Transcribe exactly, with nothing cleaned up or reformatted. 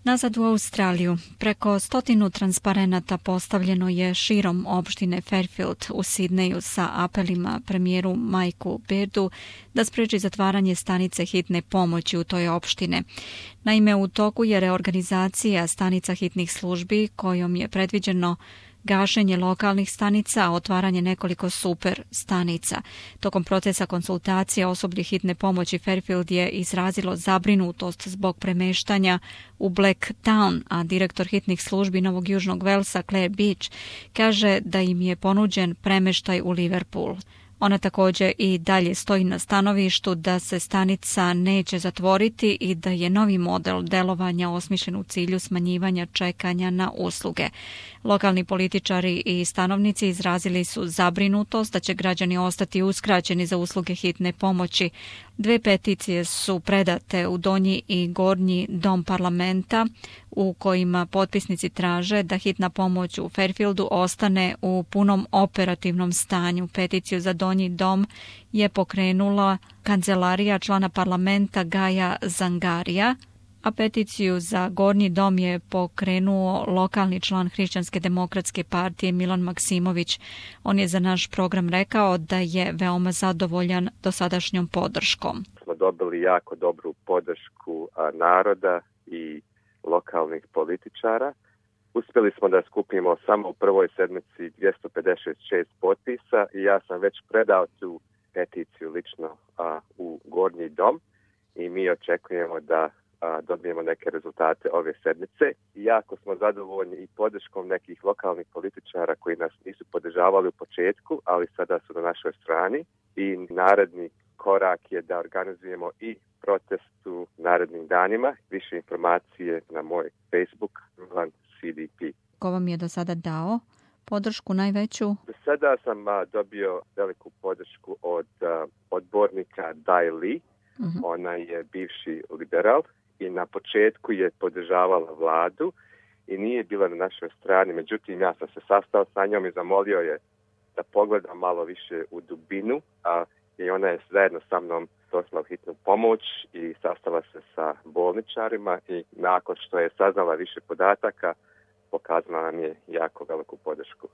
Nazad u Australiju. Preko stotinu transparenata postavljeno je širom opštine Fairfield u Sidneju sa apelima premijeru Mikeu Beardu da spreči zatvaranje stanice hitne pomoći u toj opštine. Naime, u toku je reorganizacija stanica hitnih službi kojom je predviđeno gašenje lokalnih stanica, a otvaranje nekoliko super stanica. Tokom procesa konsultacija osoblje hitne pomoći Fairfield je izrazilo zabrinutost zbog premeštanja u Black Town, a direktor hitnih službi Novog Južnog Velsa Claire Beach kaže da im je ponuđen premeštaj u Liverpool. Ona također i dalje stoji na stanovištu da se stanica neće zatvoriti i da je novi model delovanja osmišljen u cilju smanjivanja čekanja na usluge. Lokalni političari i stanovnici izrazili su zabrinutost da će građani ostati uskraćeni za usluge hitne pomoći. Dve peticije su predate u donji i gornji dom parlamenta u kojima potpisnici traže da hitna pomoć u Fairfieldu ostane u punom operativnom stanju. Peticiju za donji dom je pokrenula kancelarija člana parlamenta Gaja Zangarija, a peticiju za gornji dom je pokrenuo lokalni član Hrišćanske demokratske partije Milan Maksimović. On je za naš program rekao da je veoma zadovoljan dosadašnjom podrškom. Smo dobili jako dobru podršku naroda i lokalnih političara. Uspjeli smo da skupimo samo u prvoj sedmici dvjesto pedeset šest potpisa i ja sam već predao tu peticiju lično a, u gornji dom i mi očekujemo da a, dobijemo neke rezultate ove sedmice. Jako smo zadovoljni i podrškom nekih lokalnih političara koji nas nisu podržavali u početku, ali sada su na našoj strani i naredni korak je da organizujemo i protest u narednim danima. Više informacije na moj Facebook, Milan C D P. Ko vam je do sada dao podršku najveću? Do sada sam a, dobio veliku podršku od a, odbornika Dai Li. Uh-huh. Ona je bivši liberal i na početku je podržavala vladu i nije bila na našoj strani. Međutim, ja sam se sastao sa njom i zamolio je da pogleda malo više u dubinu, a i ona je zajedno sa mnom došla u hitnu pomoć i sastala se sa bolničarima i nakon što je saznala više podataka, pokazala nam je jako veliku podršku.